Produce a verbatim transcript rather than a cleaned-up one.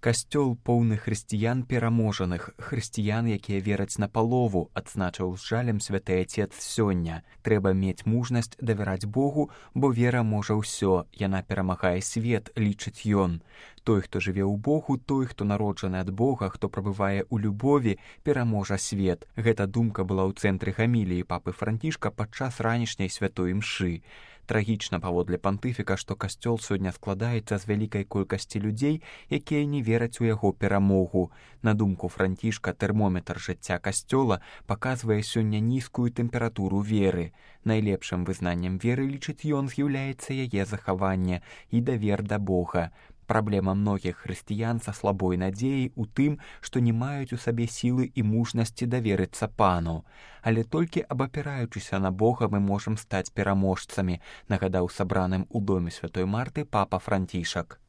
Касцёл поўны хрысціян пераможаных, хрысціян, якія вераць на палову, адзначыў з жалем святы Отец сёння. Трэба мець мужнасць давяраць Богу, бо вера можа ўсё, яна перамагае свет, лічыць ён. Той, хто жыве ў Богу, той, хто народжаны ад Бога, хто прабывае ў любові, пераможа свет. Гэта думка была ў цэнтры гаміліі папы Францішка падчас ранішняй святой імшы. Трагічна паводле пантыфіка, што касцёл сёння складаецца з вялікай колькасці людзей, якія не вераць у яго перамогу. На думку Францішка, тэрмометр жыцця касцёла паказвае сёння нізкую тэмпературу веры. Найлепшым вызнаннем веры, лічыць ён, з'яўляецца яе захаванне і давер да Бога. Праблема многіх хрысціян са слабой надзеяй у тым, што не маюць у сабе сілы і мужнасці даверыцца Пану. Але толькі абапіраючыся на Бога мы можам стаць пераможцамі, нагадаў сабраным у доме святой Марты папа Францішак.